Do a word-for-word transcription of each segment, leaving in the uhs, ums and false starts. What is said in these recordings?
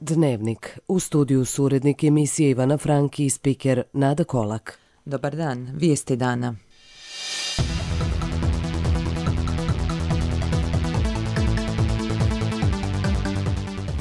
Dnevnik. U studiju su urednik emisije Ivana Franki i spiker Nada Kolak. Dobar dan, vijesti dana.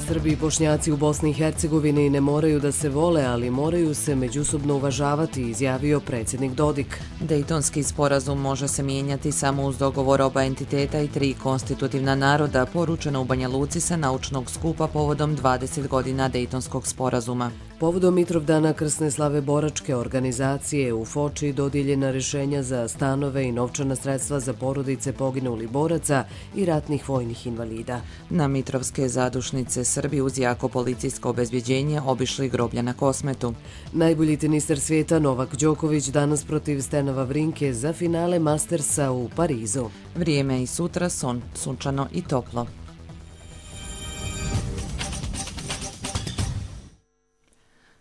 Srbi i Bošnjaci u Bosni i Hercegovini ne moraju da se vole, ali moraju se međusobno uvažavati, izjavio predsjednik Dodik. Dejtonski sporazum može se mijenjati samo uz dogovor oba entiteta i tri konstitutivna naroda, poručeno u Banja Luci sa naučnog skupa povodom dvadeset godina Dejtonskog sporazuma. Povodom Mitrovdana krsne slave boračke organizacije u Foči dodijeljena rješenja za stanove i novčana sredstva za porodice poginulih boraca i ratnih vojnih invalida. Na Mitrovske zadušnice Srbi uz jako policijsko obezbjeđenje obišli groblja na Kosmetu. Najbolji teniser svijeta Novak Đoković danas protiv Stena Wawrinke za finale Mastersa u Parizu. Vrijeme i sutra sun, sunčano i toplo.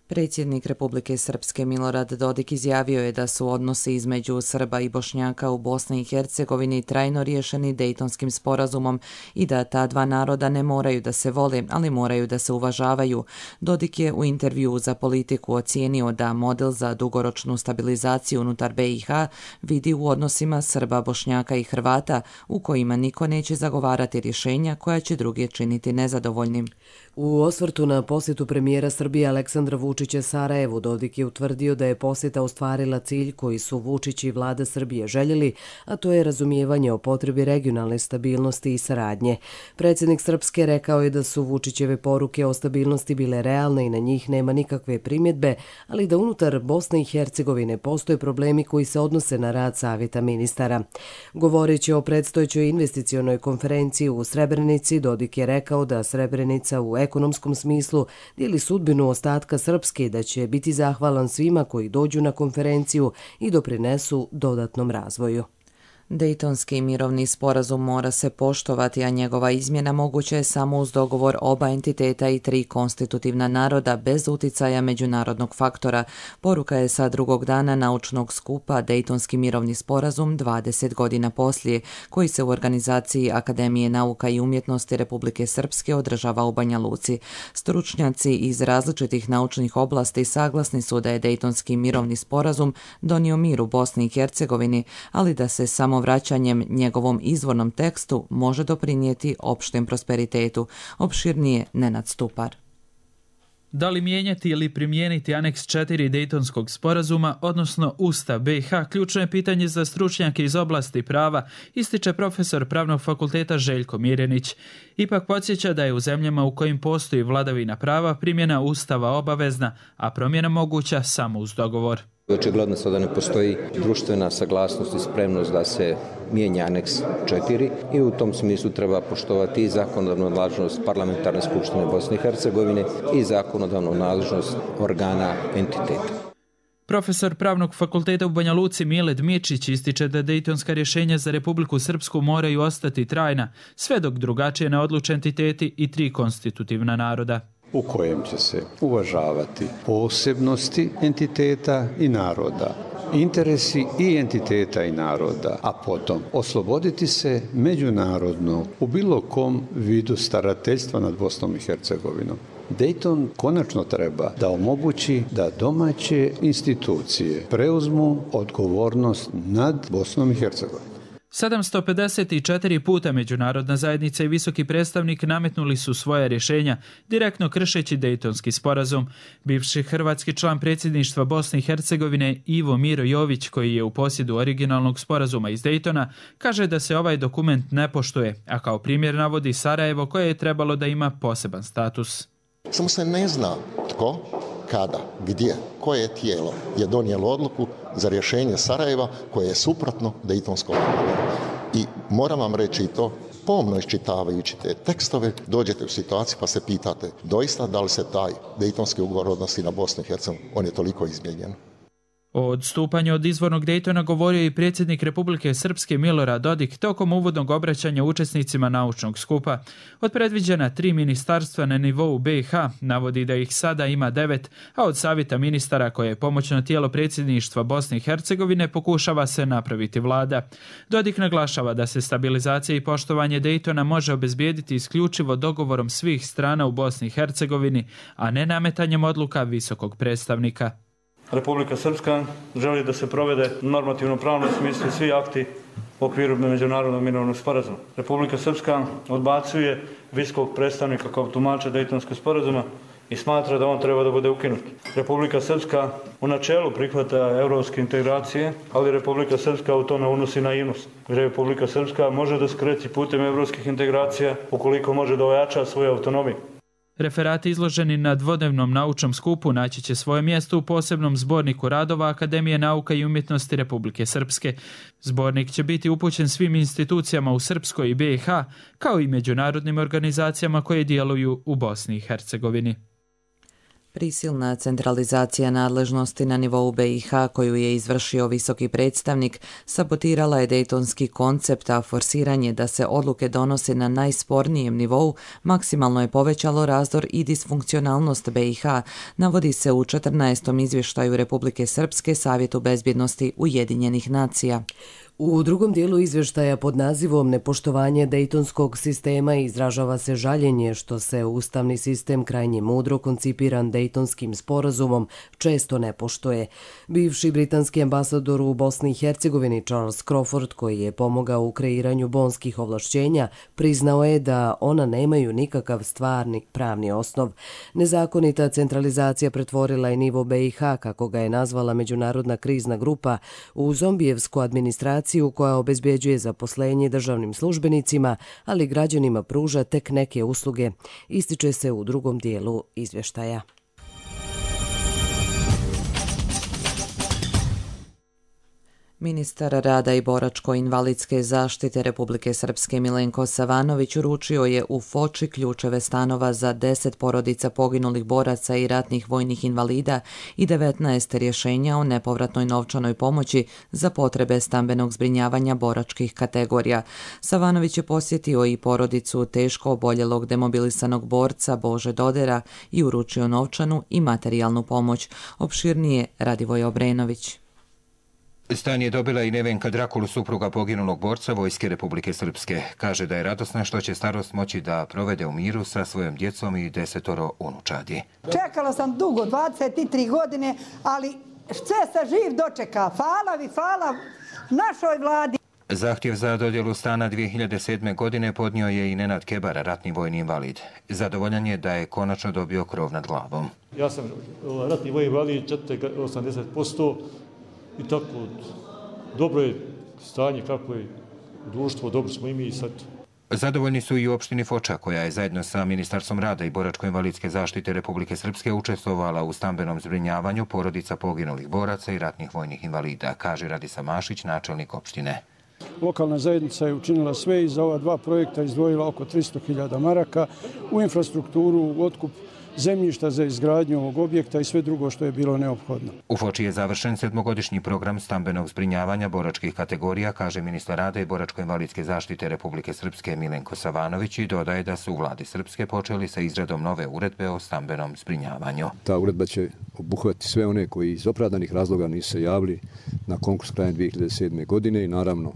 Predsjednik Republike Srpske Milorad Dodik izjavio je da su odnosi između Srba i Bošnjaka u Bosni i Hercegovini trajno riješeni Dejtonskim sporazumom i da ta dva naroda ne moraju da se vole, ali moraju da se uvažavaju. Dodik je u intervjuu za Politiku ocijenio da model za dugoročnu stabilizaciju unutar B i H vidi u odnosima Srba, Bošnjaka i Hrvata, u kojima niko neće zagovarati rješenja koja će druge činiti nezadovoljnim. U osvrtu na posjetu premijera Srbije Aleksandra Vučića Sarajevu, Dodik je utvrdio da je posjeta ostvarila cilj koji su Vučić i vlada Srbije željeli, a to je razumijevanje o potrebi regionalne stabilnosti i saradnje. Predsjednik Srpske rekao je da su Vučićeve poruke o stabilnosti bile realne i na njih nema nikakve primjedbe, ali da unutar Bosne i Hercegovine postoje problemi koji se odnose na rad Savjeta ministara. Govoreći o predstojećoj investicionoj konferenciji u Srebrenici, Dodik je rekao da Srebrenica u ekonomskom smislu dijeli sudbinu ostatka Srpske i da će biti zahvalan svima koji dođu na konferenciju i doprinesu dodatnom razvoju. Dejtonski mirovni sporazum mora se poštovati, a njegova izmjena moguća je samo uz dogovor oba entiteta i tri konstitutivna naroda bez uticaja međunarodnog faktora. Poruka je sa drugog dana naučnog skupa Dejtonski mirovni sporazum dvadeset godina poslije, koji se u organizaciji Akademije nauka i umjetnosti Republike Srpske održava u Banja Luci. Stručnjaci iz različitih naučnih oblasti saglasni su da je Dejtonski mirovni sporazum donio mir u Bosni i Hercegovini, ali da se samo vraćanjem njegovom izvornom tekstu može doprinijeti opštem prosperitetu. Opširnije Nenad Stupar. Da li mijenjati ili primijeniti aneks četiri Dejtonskog sporazuma, odnosno Ustav B i H, ključno je pitanje za stručnjake iz oblasti prava, ističe profesor Pravnog fakulteta Željko Mirjanić. Ipak podsjeća da je u zemljama u kojim postoji vladavina prava primjena Ustava obavezna, a promjena moguća samo uz dogovor. Očigledno sada ne postoji društvena saglasnost i spremnost da se mijenja aneks četiri i u tom smislu treba poštovati i zakonodavnu nadležnost Parlamentarne skupštine Bosne i Hercegovine i zakonodavnu nadležnost organa entiteta. Profesor Pravnog fakulteta u Banja Luci Mile Dmičić ističe da dejtonska rješenja za Republiku Srpsku moraju ostati trajna, sve dok drugačije ne odluče entiteti i tri konstitutivna naroda, u kojem će se uvažavati posebnosti entiteta i naroda, interesi i entiteta i naroda, a potom osloboditi se međunarodno u bilo kom vidu starateljstva nad Bosnom i Hercegovinom. Dejton konačno treba da omogući da domaće institucije preuzmu odgovornost nad Bosnom i Hercegovinom. sedamsto pedeset četiri puta međunarodna zajednica i visoki predstavnik nametnuli su svoja rješenja, direktno kršeći Dejtonski sporazum. Bivši hrvatski član predsjedništva Bosne i Hercegovine Ivo Miro Jović, koji je u posjedu originalnog sporazuma iz Dejtona, kaže da se ovaj dokument ne poštuje, a kao primjer navodi Sarajevo, koje je trebalo da ima poseban status. Samo se ne zna tko, kada, gdje, koje tijelo je donijelo odluku za rješenje Sarajeva koje je suprotno Dejtonskom ugovoru. I moram vam reći i to, pomno iščitavajući te tekstove, dođete u situaciju pa se pitate doista da li se taj Dejtonski ugovor odnosi na Bosnu i Hercegovinu, on je toliko izmijenjen. O odstupanju od izvornog Daytona govorio i predsjednik Republike Srpske Milorad Dodik tokom uvodnog obraćanja učesnicima naučnog skupa. Od predviđena tri ministarstva na nivou B i H navodi da ih sada ima devet, a od savjeta ministara koje je pomoćno tijelo predsjedništva Bosne i Hercegovine pokušava se napraviti vlada. Dodik naglašava da se stabilizacija i poštovanje Daytona može obezbijediti isključivo dogovorom svih strana u Bosni i Hercegovini, a ne nametanjem odluka visokog predstavnika. Republika Srpska želi da se provede normativno pravno smislu svi akti u okviru međunarodnog mirovnog sporazuma. Republika Srpska odbacuje visokog predstavnika kao tumača Dejtonskog sporazuma i smatra da on treba da bude ukinut. Republika Srpska u načelu prihvata evropske integracije, ali Republika Srpska u to ne unosi naivnost. Republika Srpska može da skreći putem evropskih integracija ukoliko može da ojača svoju autonomiju. Referati izloženi na dvodnevnom naučnom skupu naći će svoje mjesto u posebnom zborniku radova Akademije nauka i umjetnosti Republike Srpske. Zbornik će biti upućen svim institucijama u Srpskoj i B i H, kao i međunarodnim organizacijama koje djeluju u Bosni i Hercegovini. Prisilna centralizacija nadležnosti na nivou B i H koju je izvršio visoki predstavnik sabotirala je dejtonski koncept, a forsiranje da se odluke donose na najspornijem nivou maksimalno je povećalo razdor i disfunkcionalnost B i H, navodi se u četrnaestom izvještaju Republike Srpske Savjetu bezbjednosti Ujedinjenih nacija. U drugom dijelu izvještaja pod nazivom Nepoštovanje dejtonskog sistema izražava se žaljenje što se ustavni sistem krajnje mudro koncipiran Dejtonskim sporazumom često ne poštuje. Bivši britanski ambasador u Bosni i Hercegovini Charles Crawford, koji je pomogao u kreiranju bonskih ovlašćenja, priznao je da ona nemaju nikakav stvarni pravni osnov. Nezakonita centralizacija pretvorila je nivo B i H, kako ga je nazvala međunarodna krizna grupa, u zombijevsku administraciju koja obezbjeđuje zaposlenje državnim službenicima, ali građanima pruža tek neke usluge, ističe se u drugom dijelu izvještaja. Ministar rada i boračko-invalidske zaštite Republike Srpske Milenko Savanović uručio je u Foči ključeve stanova za deset porodica poginulih boraca i ratnih vojnih invalida i devetnaest rješenja o nepovratnoj novčanoj pomoći za potrebe stambenog zbrinjavanja boračkih kategorija. Savanović je posjetio i porodicu teško oboljelog demobilisanog borca Bože Dodera i uručio novčanu i materijalnu pomoć. Opširnije Radivoj Obrenović. Stan je dobila i Nevenka Drakul, supruga poginulog borca Vojske Republike Srpske. Kaže da je radosna što će starost moći da provede u miru sa svojom djecom i desetoro unučadi. Čekala sam dugo, dvadeset tri godine, ali sve se živ dočeka. Hvala vi, hvala našoj vladi. Zahtjev za dodjelu stana dvije hiljade sedme. godine podnio je i Nenad Kebar, ratni vojni invalid. Zadovoljan je da je konačno dobio krov nad glavom. Ja sam ratni vojni invalid, osamdeset posto. I tako, dobro je stanje, kako je društvo, dobro smo i mi sad. Zadovoljni su i u opštini Foča, koja je zajedno sa Ministarstvom rada i boračko-invalidske zaštite Republike Srpske učestvovala u stambenom zbrinjavanju porodica poginulih boraca i ratnih vojnih invalida, kaže Radisa Mašić, načelnik opštine. Lokalna zajednica je učinila sve i za ova dva projekta izdvojila oko tristo hiljada maraka u infrastrukturu, u otkup zemljišta za izgradnju ovog objekta i sve drugo što je bilo neophodno. U Foči je završen sedmogodišnji program stambenog zbrinjavanja boračkih kategorija, kaže ministar rada i boračko-invalidske zaštite Republike Srpske Milenko Savanović i dodaje da su u vladi Srpske počeli sa izradom nove uredbe o stambenom zbrinjavanju. Ta uredba će obuhvatiti sve one koji iz opravdanih razloga nisu se javili na konkurs krajem dvije hiljade sedme. godine i naravno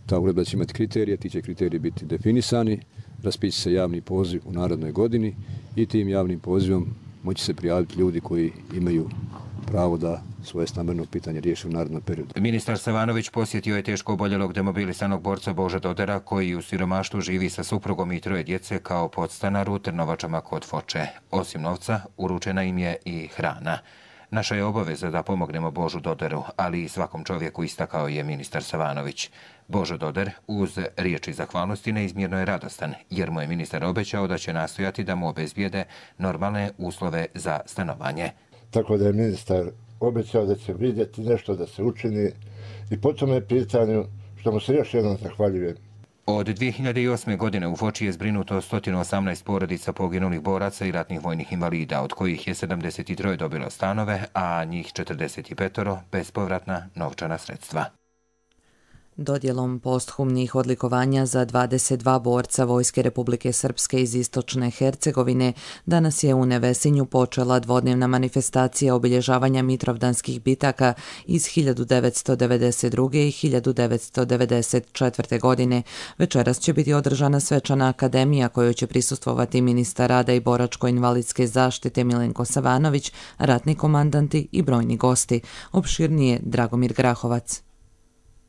ta uredba će imati kriterije, ti će kriteriji biti definisani, raspiše se javni poziv u narednoj godini i tim javnim pozivom moći se prijaviti ljudi koji imaju pravo da svoje stambeno pitanje riješi u narednom periodu. Ministar Savanović posjetio je teško oboljelog demobilisanog borca Bože Dodera, koji u siromaštvu živi sa suprugom i troje djece kao podstanar u Trnovačama kod Foče. Osim novca, uručena im je i hrana. Naša je obaveza da pomognemo Božu Doderu, ali i svakom čovjeku, istakao je ministar Savanović. Božo Doder uz riječi zahvalnosti neizmjerno je radostan, jer mu je ministar obećao da će nastojati da mu obezbijede normalne uslove za stanovanje. Tako da je ministar obećao da će vidjeti nešto da se učini i po tome pitanju što mu se još jednom zahvaljujem. Od dvije hiljade osme. godine u Foči je zbrinuto sto osamnaest porodica poginulih boraca i ratnih vojnih invalida, od kojih je sedamdeset tri dobilo stanove, a njih četrdeset pet bespovratna novčana sredstva. Dodjelom posthumnih odlikovanja za dvadeset dva borca Vojske Republike Srpske iz Istočne Hercegovine danas je u Nevesinju počela dvodnevna manifestacija obilježavanja mitrovdanskih bitaka iz hiljadu devetsto devedeset druge. i hiljadu devetsto devedeset četvrte. godine. Večeras će biti održana svečana akademija kojoj će prisustvovati ministar rada i boračko-invalidske zaštite Milenko Savanović, ratni komandanti i brojni gosti. Opširnije Dragomir Grahovac.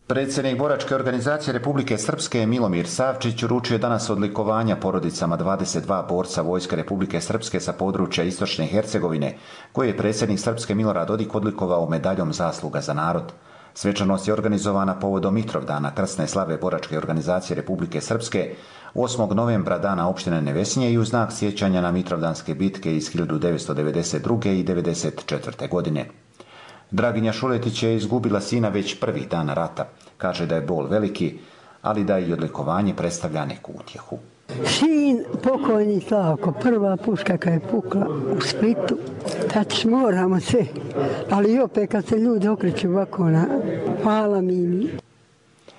Predsjednik Boračke organizacije Republike Srpske Milomir Savčić uručio je danas odlikovanja porodicama dvadeset dva borca Vojske Republike Srpske sa područja Istočne Hercegovine, koje je predsjednik Srpske Milorad Dodik odlikovao medaljom zasluga za narod. Svečanost je organizovana povodom Mitrovdana krsne slave Boračke organizacije Republike Srpske osmog novembra, dana opštine Nevesinje, i u znak sjećanja na mitrovdanske bitke iz hiljadu devetsto devedeset druge. i devedeset četvrte. godine. Draginja Šuletić je izgubila sina već prvih dana rata. Kaže da je bol veliki, ali da i odlikovanje predstavlja neku utjehu. Sin pokojni Slavko, prva puška kad je pukla u Splitu, tač moramo se, ali opet kad se ljudi okreću ovako na hvala Mimi.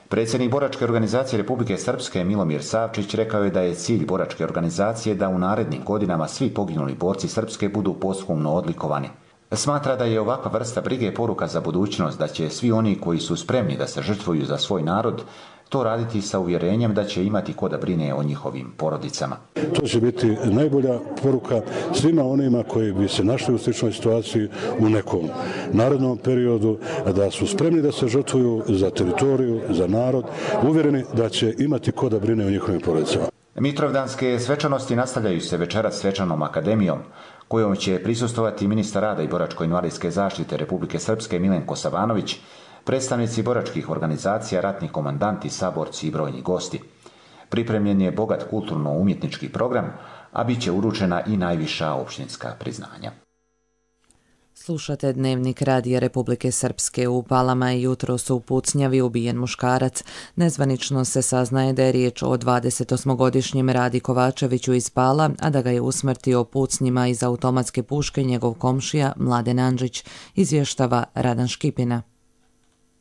Predsjednik Boračke organizacije Republike Srpske Milomir Savčić rekao je da je cilj Boračke organizacije da u narednim godinama svi poginuli borci Srpske budu posthumno odlikovani. Smatra da je ovakva vrsta brige poruka za budućnost, da će svi oni koji su spremni da se žrtvuju za svoj narod to raditi sa uvjerenjem da će imati ko da brine o njihovim porodicama. To će biti najbolja poruka svima onima koji bi se našli u sličnoj situaciji u nekom narednom periodu, da su spremni da se žrtvuju za teritoriju, za narod, uvjereni da će imati ko da brine o njihovim porodicama. Mitrovdanske svečanosti nastavljaju se večeras svečanom akademijom, kojom će prisustovati ministar rada i boračko-invalidske zaštite Republike Srpske Milenko Savanović, predstavnici boračkih organizacija, ratni komandanti, saborci i brojni gosti. Pripremljen je bogat kulturno-umjetnički program, a bit će uručena i najviša opštinska priznanja. Slušate Dnevnik Radija Republike Srpske. U Palama je jutros u pucnjavi ubijen muškarac. Nezvanično se saznaje da je riječ o dvadesetosmogodišnjem Radi Kovačeviću iz Pala, a da ga je usmrtio pucnjima iz automatske puške njegov komšija Mladen Andžić, izvještava Radan Škipina.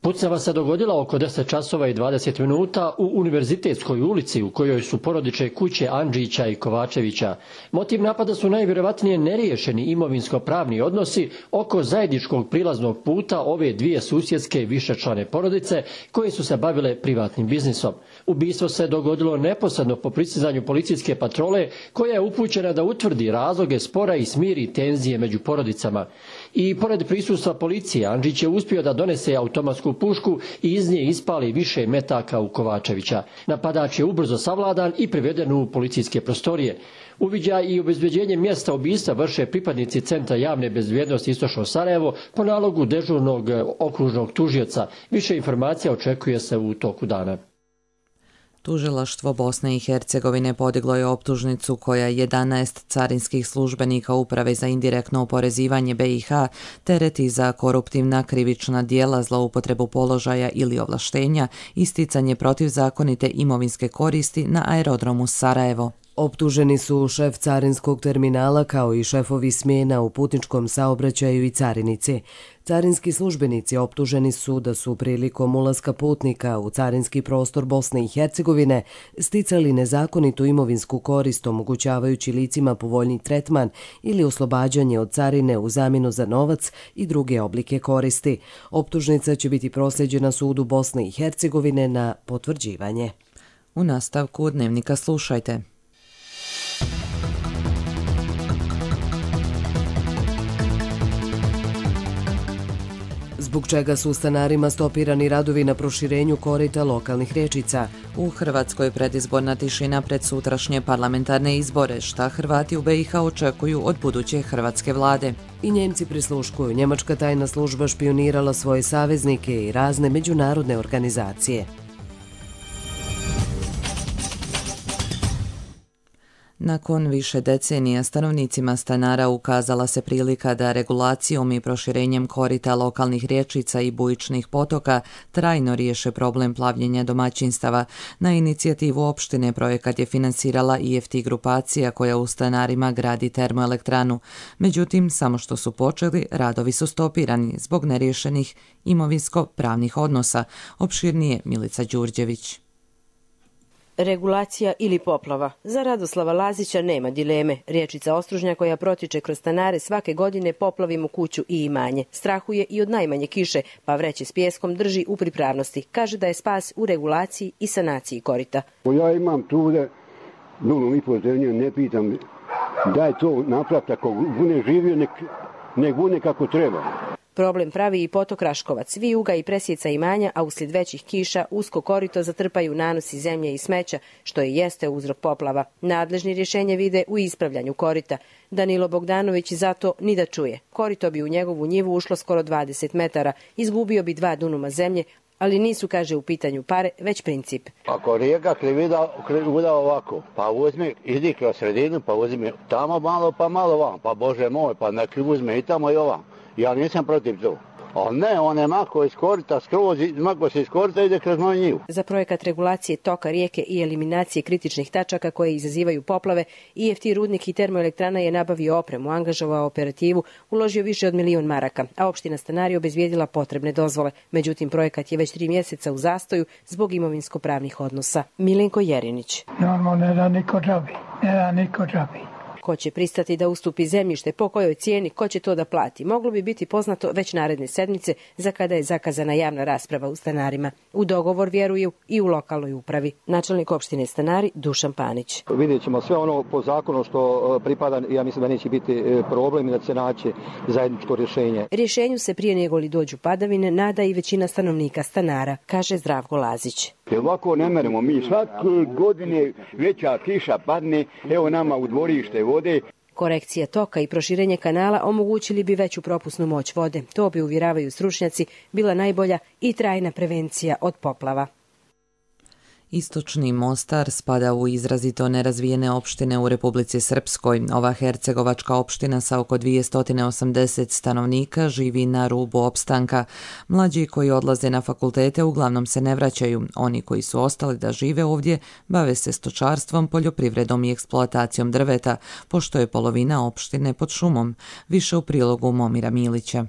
Pucnjava se dogodila oko deset časova i dvadeset minuta u Univerzitetskoj ulici u kojoj su porodične kuće Andžića i Kovačevića. Motiv napada su najvjerovatnije neriješeni imovinsko-pravni odnosi oko zajedničkog prilaznog puta ove dvije susjedske višečlane porodice koje su se bavile privatnim biznisom. Ubistvo se dogodilo neposredno po pristizanju policijske patrole koja je upućena da utvrdi razloge spora i smiri tenzije među porodicama. I pored prisustva policije, Andžić je uspio da donese automatsku pušku i iz nje ispali više metaka u Kovačevića. Napadač je ubrzo savladan i priveden u policijske prostorije. Uviđaj i obezbeđenje mjesta ubistva vrše pripadnici Centra javne bezbjednosti Istočno Sarajevo po nalogu dežurnog okružnog tužioca. Više informacija očekuje se u toku dana. Tužilaštvo Bosne i Hercegovine podiglo je optužnicu koja jedanaest carinskih službenika Uprave za indirektno oporezivanje B i H tereti za koruptivna krivična djela, zloupotrebu položaja ili ovlaštenja, isticanje protivzakonite imovinske koristi na aerodromu Sarajevo. Optuženi su šef carinskog terminala kao i šefovi smjena u putničkom saobraćaju i carinici. Carinski službenici optuženi su da su prilikom ulaska putnika u carinski prostor Bosne i Hercegovine sticali nezakonitu imovinsku korist, omogućavajući licima povoljni tretman ili oslobađanje od carine u zamjenu za novac i druge oblike koristi. Optužnica će biti prosljeđena sudu Bosne i Hercegovine na potvrđivanje. U nastavku Dnevnika slušajte. Zbog čega su stanarima stopirani radovi na proširenju korita lokalnih rječica? U Hrvatskoj predizborna tišina pred sutrašnje parlamentarne izbore. Šta Hrvati u B i H očekuju od buduće hrvatske vlade? I Njemci prisluškuju. Njemačka tajna služba špionirala svoje saveznike i razne međunarodne organizacije. Nakon više decenija stanovnicima Stanara ukazala se prilika da regulacijom i proširenjem korita lokalnih rječica i bujičnih potoka trajno riješe problem plavljenja domaćinstava. Na inicijativu opštine projekat je finansirala I F T grupacija koja u Stanarima gradi termoelektranu. Međutim, samo što su počeli, radovi su stopirani zbog neriješenih imovinsko-pravnih odnosa. Opširnije Milica Đurđević. Regulacija ili poplava. Za Radoslava Lazića nema dileme. Riječica Ostružnja koja protiče kroz Stanare svake godine poplavi mu kuću i imanje. Strahuje i od najmanje kiše, pa vreće s pijeskom drži u pripravnosti. Kaže da je spas u regulaciji i sanaciji korita. Ja imam trude, dulom i po zemlje, ne pitam da je to napraviti. Ako bude živio, nek, nek bude kako treba. Problem pravi i potok Raškovac. Vijuga i presjeca imanja, a uslijed većih kiša usko korito zatrpaju nanosi zemlje i smeća, što i jeste uzrok poplava. Nadležni rješenje vide u ispravljanju korita. Danilo Bogdanović zato ni da čuje. Korito bi u njegovu njivu ušlo skoro dvadeset metara, izgubio bi dva dunuma zemlje, ali nisu, kaže, u pitanju pare, već princip. Ako rijeka krivuda ovako, pa uzme, idi kroz sredinu, pa uzme tamo malo, pa malo vam, pa Bože moj, pa neki uzme i tamo i ovam. Ja nisam protiv to. Ali ne, on je mako iz korita, skroz, mako se iz korita ide kroz moju njivu. Za projekat regulacije toka rijeke i eliminacije kritičnih tačaka koje izazivaju poplave, I F T Rudnik i termoelektrana je nabavio opremu, angažovao operativu, uložio više od milion maraka, a opština Stanari obezvijedila potrebne dozvole. Međutim, projekat je već tri mjeseca u zastoju zbog imovinsko-pravnih odnosa. Milenko Jerinić. Normalno ne da niko džabi, ne da niko džabi. Ko će pristati da ustupi zemljište, po kojoj cijeni, ko će to da plati, moglo bi biti poznato već naredne sedmice za kada je zakazana javna rasprava u Stanarima. U dogovor vjeruju i u lokalnoj upravi. Načelnik opštine Stanari Dušan Panić. Vidjet ćemo sve ono po zakonu što pripada, ja mislim da neće biti problem i da će se naći zajedničko rješenje. Rješenju se prije nego li dođu padavine nada i većina stanovnika Stanara, kaže Zdravko Lazić. Ovako ne meremo mi, svake godine veća kiša padne, evo nama u dvorište vode. Korekcija toka i proširenje kanala omogućili bi veću propusnu moć vode. To bi, uvjeravaju stručnjaci, bila najbolja i trajna prevencija od poplava. Istočni Mostar spada u izrazito nerazvijene opštine u Republici Srpskoj. Ova hercegovačka opština sa oko dvjesto osamdeset stanovnika živi na rubu opstanka. Mlađi koji odlaze na fakultete uglavnom se ne vraćaju. Oni koji su ostali da žive ovdje bave se stočarstvom, poljoprivredom i eksploatacijom drveta, pošto je polovina opštine pod šumom. Više u prilogu Momira Milića.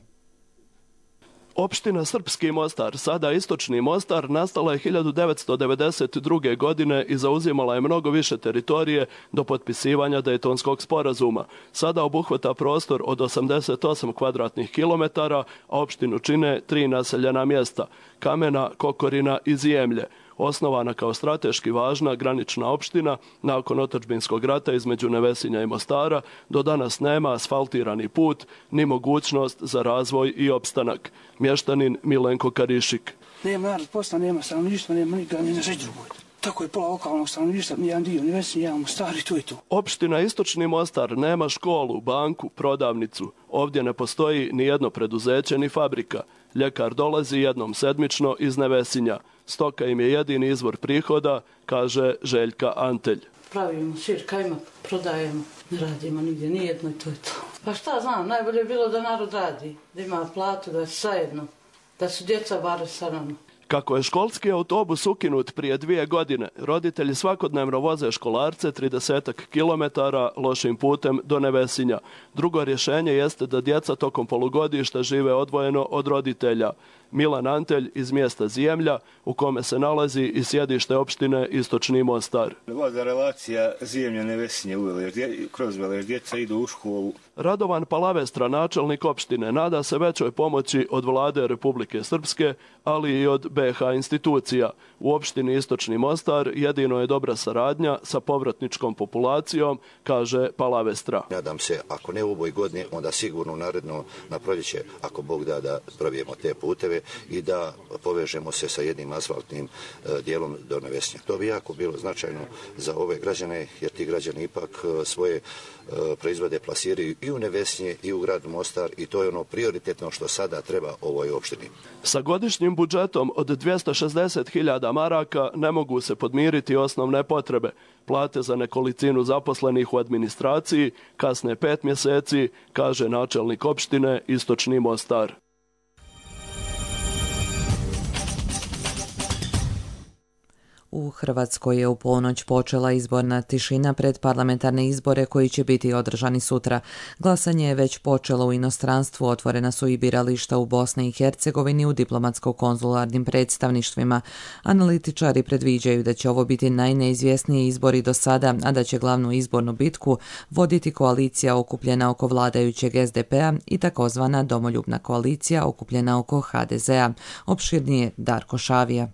Opština Srpski Mostar, sada Istočni Mostar, nastala je hiljadu devetsto devedeset druge. godine i zauzimala je mnogo više teritorije do potpisivanja Dejtonskog sporazuma. Sada obuhvata prostor od osamdeset osam kvadratnih kilometara, a opštinu čine tri naseljena mjesta – Kamena, Kokorina i Zijemlje. Osnovana kao strateški važna granična opština, nakon otadžbinskog rata između Nevesinja i Mostara, do danas nema asfaltirani put ni mogućnost za razvoj i opstanak. Mještanin Milenko Karišik. Nema narod posla, nema stanovništva, nema nikada ni na žeć drugoj. Tako je pola lokalnog stanovništva, nijedan dio Nevesinja, jedan Mostar i tu i tu. Opština Istočni Mostar nema školu, banku, prodavnicu. Ovdje ne postoji ni jedno preduzeće ni fabrika. Ljekar dolazi jednom sedmično iz Nevesinja. Stoka im je jedini izvor prihoda, kaže Željka Antelj. Pravimo sir, kajmak, prodajemo, ne radimo nigdje, nijedno i to je to. Pa šta znam, najbolje je bilo da narod radi, da ima platu, da je zajedno, da su djeca bar sa nama. Kako je školski autobus ukinut prije dvije godine, roditelji svakodnevno voze školarce trideset kilometara lošim putem do Nevesinja. Drugo rješenje jeste da djeca tokom polugodišta žive odvojeno od roditelja. Milan Antelj iz mjesta Zijemlja, u kome se nalazi i sjedište opštine Istočni Mostar. Vlada relacija Zijemlja-Nevesinje u Velež, kroz Velež, djeca idu u školu. Radovan Palavestra, načelnik opštine, nada se većoj pomoći od vlade Republike Srpske, ali i od B H institucija. U opštini Istočni Mostar jedino je dobra saradnja sa povratničkom populacijom, kaže Palavestra. Nadam se, ako ne u ovoj godini, onda sigurno naredno na proljeće, ako Bog da, da probijemo te puteve i da povežemo se sa jednim asfaltnim dijelom do Nevesinja. To bi jako bilo značajno za ove građane, jer ti građani ipak svoje proizvode plasiraju i u Nevesinje i u grad Mostar i to je ono prioritetno što sada treba ovoj opštini. Sa godišnjim budžetom od dvjesto šezdeset hiljada maraka ne mogu se podmiriti osnovne potrebe. Plate za nekolicinu zaposlenih u administraciji kasne pet mjeseci, kaže načelnik opštine Istočni Mostar. U Hrvatskoj je u ponoć počela izborna tišina pred parlamentarne izbore koji će biti održani sutra. Glasanje je već počelo u inostranstvu, otvorena su i birališta u Bosni i Hercegovini u diplomatsko-konzularnim predstavništvima. Analitičari predviđaju da će ovo biti najneizvjesniji izbori do sada, a da će glavnu izbornu bitku voditi koalicija okupljena oko vladajućeg S D P-a i takozvana domoljubna koalicija okupljena oko H D Z-a. Opširnije Darko Šavija.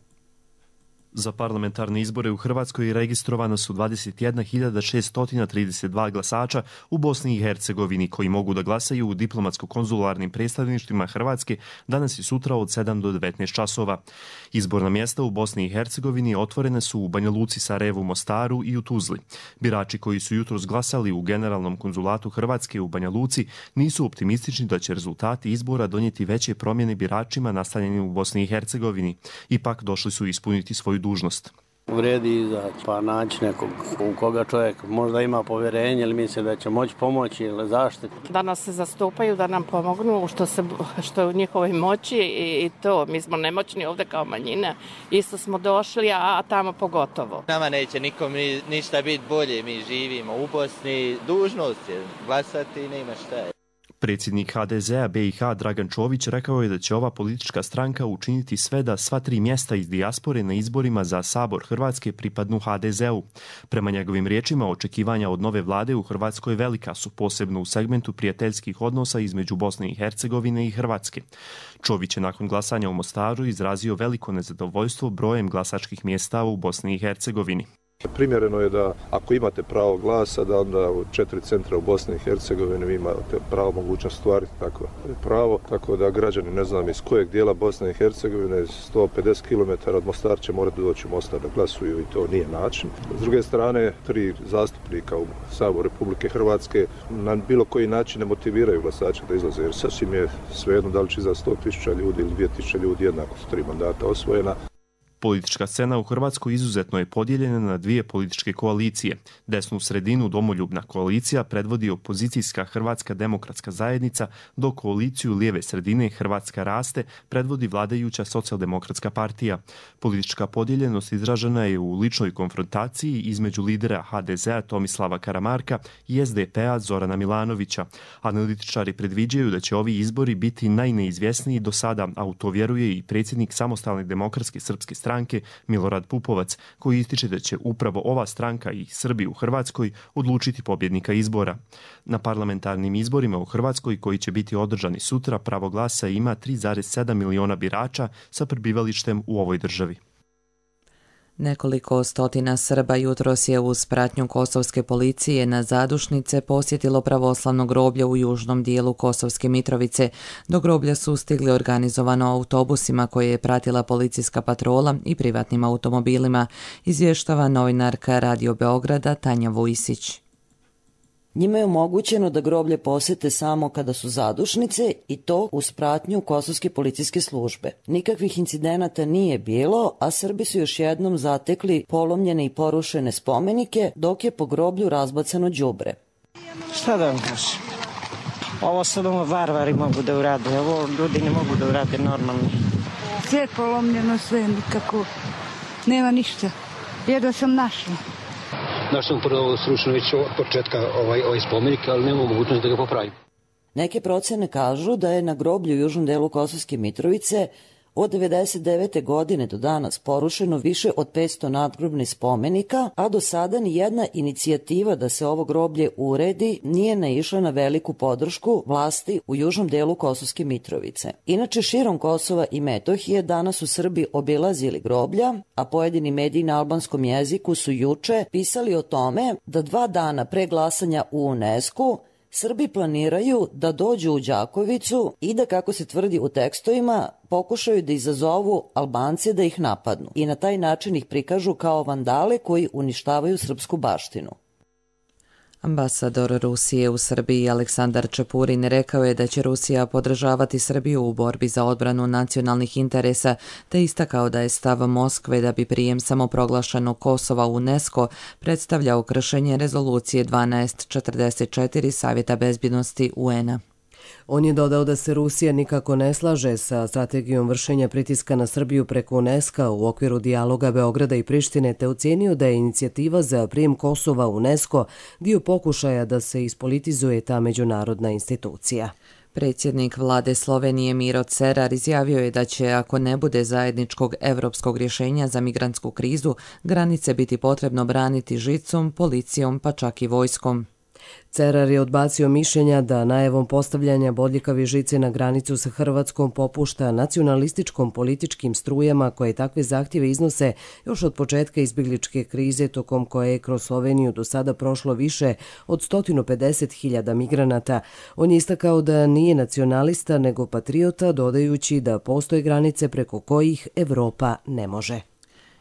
Za parlamentarne izbore u Hrvatskoj registrovano su dvadeset jedna hiljada šessto trideset dva glasača u Bosni i Hercegovini koji mogu da glasaju u diplomatsko-konzularnim predstavništvima Hrvatske danas i sutra od sedam do devetnaest časova. Izborna mjesta u Bosni i Hercegovini otvorene su u Banja Luci, Sarajevu, Mostaru i u Tuzli. Birači koji su jutros glasali u Generalnom konzulatu Hrvatske u Banja Luci nisu optimistični da će rezultati izbora donijeti veće promjene biračima nastanjenim u Bosni i Hercegovini. Ipak došli su ispuniti svoju dužnost. Vredi izaći pa naći nekog u koga čovjek možda ima povjerenje ili misli da će moći pomoći ili zaštiti. Da nas se zastupaju, da nam pomognu što, se, što je u njihovoj moći i, i to. Mi smo nemoćni ovdje kao manjina. Isto smo došli, a, a tamo pogotovo. Nama neće nikom ništa biti bolje. Mi živimo u Bosni. Dužnost je glasati i nema šta je. Predsjednik H D Z-a B i H Dragan Čović rekao je da će ova politička stranka učiniti sve da sva tri mjesta iz dijaspore na izborima za Sabor Hrvatske pripadnu H D Z-u. Prema njegovim riječima, očekivanja od nove vlade u Hrvatskoj velika su, posebno u segmentu prijateljskih odnosa između Bosne i Hercegovine i Hrvatske. Čović je nakon glasanja u Mostaru izrazio veliko nezadovoljstvo brojem glasačkih mjesta u Bosni i Hercegovini. Primjereno je da ako imate pravo glasa, da onda u četiri centra u Bosni i Hercegovini vi imate pravo mogućnost stvariti takvo pravo, tako da građani, ne znam iz kojeg dijela Bosne i Hercegovine, sto pedeset kilometara od Mostara će morati doći u Mostar da glasuju i to nije način. S druge strane, tri zastupnika u Saboru Republike Hrvatske na bilo koji način ne motiviraju glasače da izlaze, jer sasvim je svejedno da li će za sto tisuća ljudi ili dvije tisuće ljudi, jednako su tri mandata osvojena. Politička scena u Hrvatskoj izuzetno je podijeljena na dvije političke koalicije. Desnu sredinu domoljubna koalicija predvodi opozicijska Hrvatska demokratska zajednica, dok koaliciju lijeve sredine Hrvatska raste predvodi vladajuća socijaldemokratska partija. Politička podijeljenost izražena je u ličnoj konfrontaciji između lidera H D Z-a Tomislava Karamarka i S D P-a Zorana Milanovića. Analitičari predviđaju da će ovi izbori biti najneizvjesniji do sada, a u to vjeruje i predsjednik Samostalne demokratske srpske stranke Milorad Pupovac, koji ističe da će upravo ova stranka i Srbi u Hrvatskoj odlučiti pobjednika izbora. Na parlamentarnim izborima u Hrvatskoj, koji će biti održani sutra, pravo glasa ima tri zarez sedam miliona birača sa prebivalištem u ovoj državi. Nekoliko stotina Srba jutros je uz pratnju kosovske policije na zadušnice posjetilo pravoslavno groblje u južnom dijelu Kosovske Mitrovice. Do groblja su stigli organizovano autobusima koje je pratila policijska patrola i privatnim automobilima, izvještava novinarka Radio Beograda Tanja Vujsić. Njima je omogućeno da groblje posete samo kada su zadušnice i to uz pratnju kosovske policijske službe. Nikakvih incidenata nije bilo, a Srbi su još jednom zatekli polomljene i porušene spomenike, dok je po groblju razbacano đubre. Šta da vam kažem? Ovo sad ovo varvari mogu da urade, ovo ljudi ne mogu da urade normalno. Sve je polomljeno, sve nikako, nema ništa. Jedva sam našla. Našao sam prvo srušeno već od početka ovaj, ovaj spomenik, ali nema mogućnost da ga popravim. Neke procene kažu da je na groblju u južnom delu Kosovske Mitrovice od devedeset devete godine do danas porušeno više od petsto nadgrobnih spomenika, a do sada ni jedna inicijativa da se ovo groblje uredi nije naišla na veliku podršku vlasti u južnom delu Kosovske Mitrovice. Inače, širom Kosova i Metohije danas su Srbi obilazili groblja, a pojedini mediji na albanskom jeziku su juče pisali o tome da dva dana pre glasanja u UNESCO Srbi planiraju da dođu u Đakovicu i da, kako se tvrdi u tekstovima, pokušaju da izazovu Albance da ih napadnu i na taj način ih prikažu kao vandale koji uništavaju srpsku baštinu. Ambasador Rusije u Srbiji Aleksandar Čepurin rekao je da će Rusija podržavati Srbiju u borbi za odbranu nacionalnih interesa, te istakao da je stav Moskve da bi prijem samoproglašenog Kosova u UNESCO predstavljao kršenje rezolucije dvanaest četrdeset četiri Savjeta bezbjednosti U N-a. On je dodao da se Rusija nikako ne slaže sa strategijom vršenja pritiska na Srbiju preko UNESCO u okviru dijaloga Beograda i Prištine, te ocenio da je inicijativa za prijem Kosova u UNESCO dio pokušaja da se ispolitizuje ta međunarodna institucija. Predsjednik vlade Slovenije Miro Cerar izjavio je da će, ako ne bude zajedničkog evropskog rješenja za migrantsku krizu, granice biti potrebno braniti žicom, policijom pa čak i vojskom. Cerar je odbacio mišljenja da najavom postavljanja bodljikavi žice na granicu sa Hrvatskom popušta nacionalističkom političkim strujama koje takve zahtjeve iznose još od početka izbjegličke krize tokom koje je kroz Sloveniju do sada prošlo više od sto pedeset hiljada migranata. On je istakao da nije nacionalista nego patriota, dodajući da postoje granice preko kojih Evropa ne može.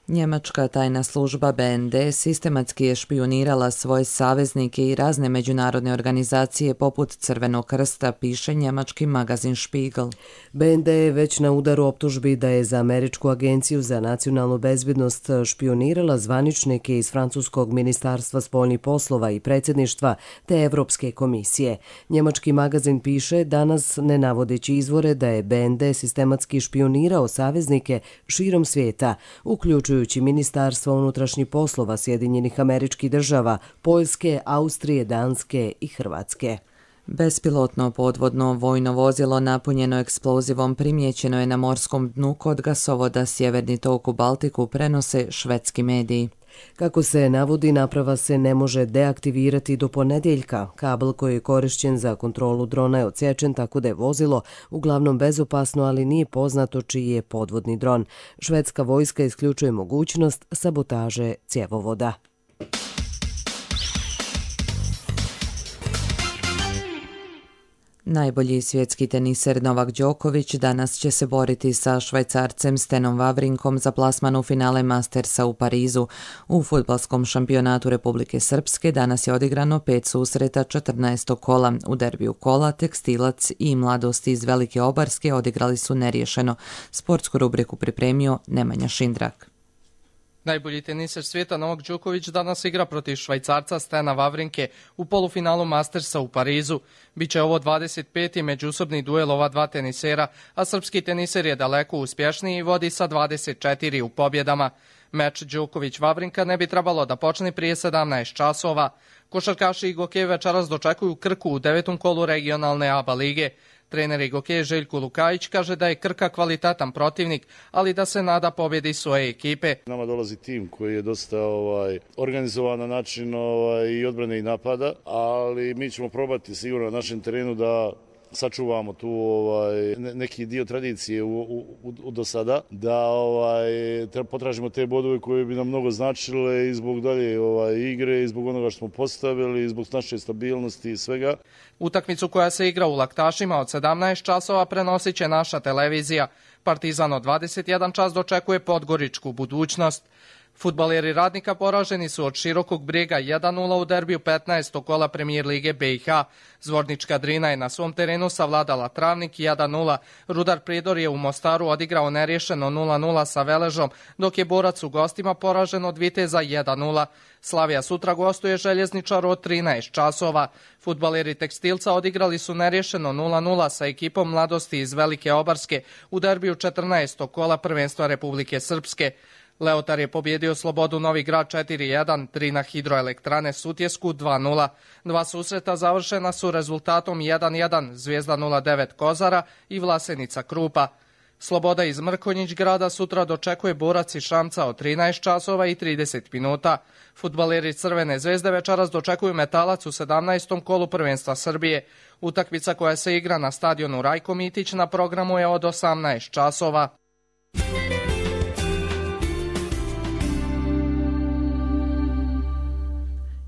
Njemačka tajna služba B N D sistematski je špijunirala svoje saveznike i razne međunarodne organizacije poput Crvenog krsta, piše njemački magazin Spiegel. B N D je već na udaru optužbi da je za Američku agenciju za nacionalnu bezbjednost špijunirala zvaničnike iz francuskog ministarstva spoljnih poslova i predsjedništva te Evropske komisije. Njemački magazin piše, danas ne navodeći izvore, da je B N D sistematski špijunirao saveznike širom svijeta, uključujući Ministarstva unutrašnjih poslova Sjedinjenih Američkih Država, Poljske, Austrije, Danske i Hrvatske. Bespilotno podvodno vojno vozilo napunjeno eksplozivom primijećeno je na morskom dnu kod gasovoda Sjeverni tok u Baltiku, prenose švedski mediji. Kako se navodi, naprava se ne može deaktivirati do ponedjeljka. Kabel koji je korišćen za kontrolu drona je odsječen, tako da je vozilo uglavnom bezopasno, ali nije poznato čiji je podvodni dron. Švedska vojska isključuje mogućnost sabotaže cjevovoda. Najbolji svjetski teniser Novak Đoković danas će se boriti sa Švajcarcem Stenom Wawrinkom za plasman u finale Mastersa u Parizu. U fudbalskom šampionatu Republike Srpske danas je odigrano pet susreta četrnaestog kola. U derbiju kola Tekstilac i Mladost iz Velike Obarske odigrali su neriješeno. Sportsku rubriku pripremio Nemanja Šindrak. Najbolji teniser svijeta Novak Đoković danas igra protiv Švajcarca Stena Wawrinke u polufinalu Mastersa u Parizu. Biće ovo dvadeset peti međusobni duel ova dva tenisera, a srpski teniser je daleko uspješniji i vodi sa dvadeset četiri u pobjedama. Meč Đoković-Wawrinka ne bi trebalo da počne prije sedamnaest časova. Košarkaši Igoke večeras dočekuju Krku u devetom kolu regionalne A B A lige. Trener Igoke Željko Lukajić kaže da je Krka kvalitetan protivnik, ali da se nada pobjedi svoje ekipe. Nama dolazi tim koji je dosta ovaj, organizovan na način ovaj, i odbrane i napada, ali mi ćemo probati sigurno na našem terenu da sačuvamo tu ovaj, neki dio tradicije u, u, u, do sada, da ovaj, potražimo te bodove koje bi nam mnogo značile i zbog dalje ovaj, igre, i zbog onoga što smo postavili, i zbog naše stabilnosti i svega. Utakmicu koja se igra u Laktašima od sedamnaest časova prenosit će naša televizija. Partizan od dvadeset jedan čas dočekuje Podgoričku Budućnost. Fudbaleri Radnika poraženi su od Širokog Brijega jedan nula u derbiju petnaestog kola Premijer lige B i H. Zvornička Drina je na svom terenu savladala Travnik jedan nula. Rudar Prijedor je u Mostaru odigrao neriješeno nula nula sa Veležom, dok je Borac u gostima poražen od Viteza jedan nula. Slavija sutra gostuje Željezničar od trinaest časova. Fudbaleri Tekstilca odigrali su neriješeno nula nula sa ekipom Mladosti iz Velike Obarske u derbiju četrnaestog kola prvenstva Republike Srpske. Leotar je pobjedio Slobodu Novi Grad četiri jedan, tri na Hidroelektrane Sutjesku dva nula. Dva susreta završena su rezultatom jedan jedan, Zvijezda nula devet Kozara i Vlasenica Krupa. Sloboda iz Mrkonjić grada sutra dočekuje Borac iz Šamca od trinaest časova i trideset minuta. Fudbaleri Crvene zvezde večeras dočekuju Metalac u sedamnaestom kolu prvenstva Srbije. Utakmica koja se igra na stadionu Rajko Mitić na programu je od osamnaest časova.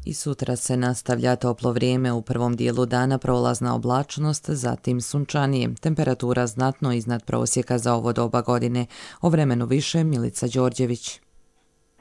I sutra se nastavlja toplo vrijeme, u prvom dijelu dana prolazna oblačnost, zatim sunčanije. Temperatura znatno iznad prosjeka za ovo doba godine. O vremenu više Milica Đorđević.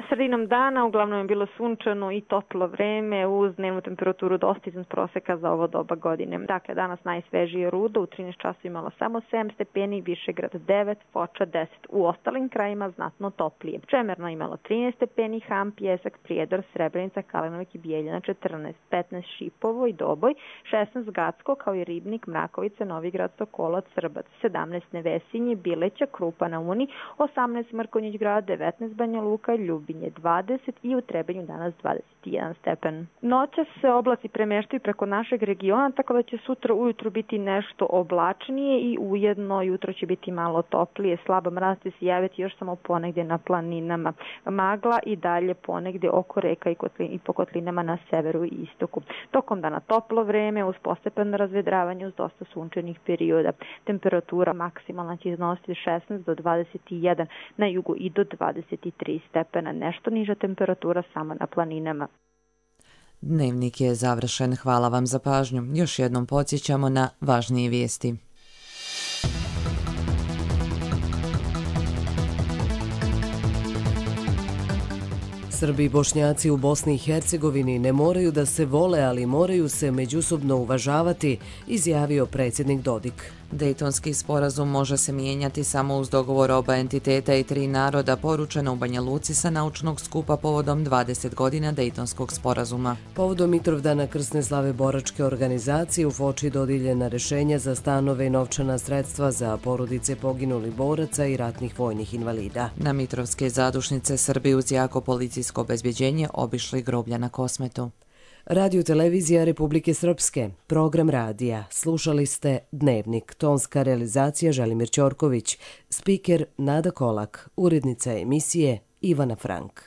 Sredinom dana uglavnom je bilo sunčano i toplo vreme uz dnevnu temperaturu dosta iznad proseka za ovo doba godine. Dakle, danas najsvežije Rudo u trinaest časova imalo samo sedam stepeni, Višegrad devet, Foča deset. U ostalim krajima znatno toplije. Čemerno imalo trinaest stepeni, Ham, Pjesak, Prijedor, Srebrenica, Kalinovik i Bijeljina četrnaest, petnaest Šipovo i Doboj, šesnaest Gacko kao i Ribnik, Mrakovica, Novigrad, Sokolac, Srbac, sedamnaest Nevesinje, Bileća, Krupa na Uni, osamnaest Mrkonjić Grad, devetnaest Banja Luka, Ljubinje dvadeset i u Trebinju danas dvadeset jedan stepen. Noćas se oblaci premeštaju preko našeg regiona, tako da će sutra ujutru biti nešto oblačnije i ujedno jutro će biti malo toplije. Slaba mraz će se javiti još samo ponegdje na planinama. Magla i dalje ponegdje oko reka i, kotlin, i po kotlinama na severu i istoku. Tokom dana toplo vreme uz postepeno razvedravanje uz dosta sunčanih perioda. Temperatura maksimalna će iznositi šesnaest do dvadeset jedan, na jugu i do dvadeset tri stepena. Nešto niža temperatura samo na planinama. Dnevnik je završen. Hvala vam za pažnju. Još jednom podsjećamo na važnije vijesti. Srbi i Bošnjaci u Bosni i Hercegovini ne moraju da se vole, ali moraju se međusobno uvažavati, izjavio predsjednik Dodik. Dejtonski sporazum može se mijenjati samo uz dogovor oba entiteta i tri naroda, poručeno u Banja Luci sa naučnog skupa povodom dvadeset godina Dejtonskog sporazuma. Povodom Mitrovdana krsne slave boračke organizacije u Foči dodijeljena rješenja za stanove i novčana sredstva za porodice poginulih boraca i ratnih vojnih invalida. Na Mitrovske zadušnice Srbi uz jako policijsko obezbjeđenje obišli groblja na Kosmetu. Radio televizija Republike Srpske, program radija. Slušali ste Dnevnik, tonska realizacija Želimir Ćorković, spiker Nada Kolak, urednica emisije Ivana Frank.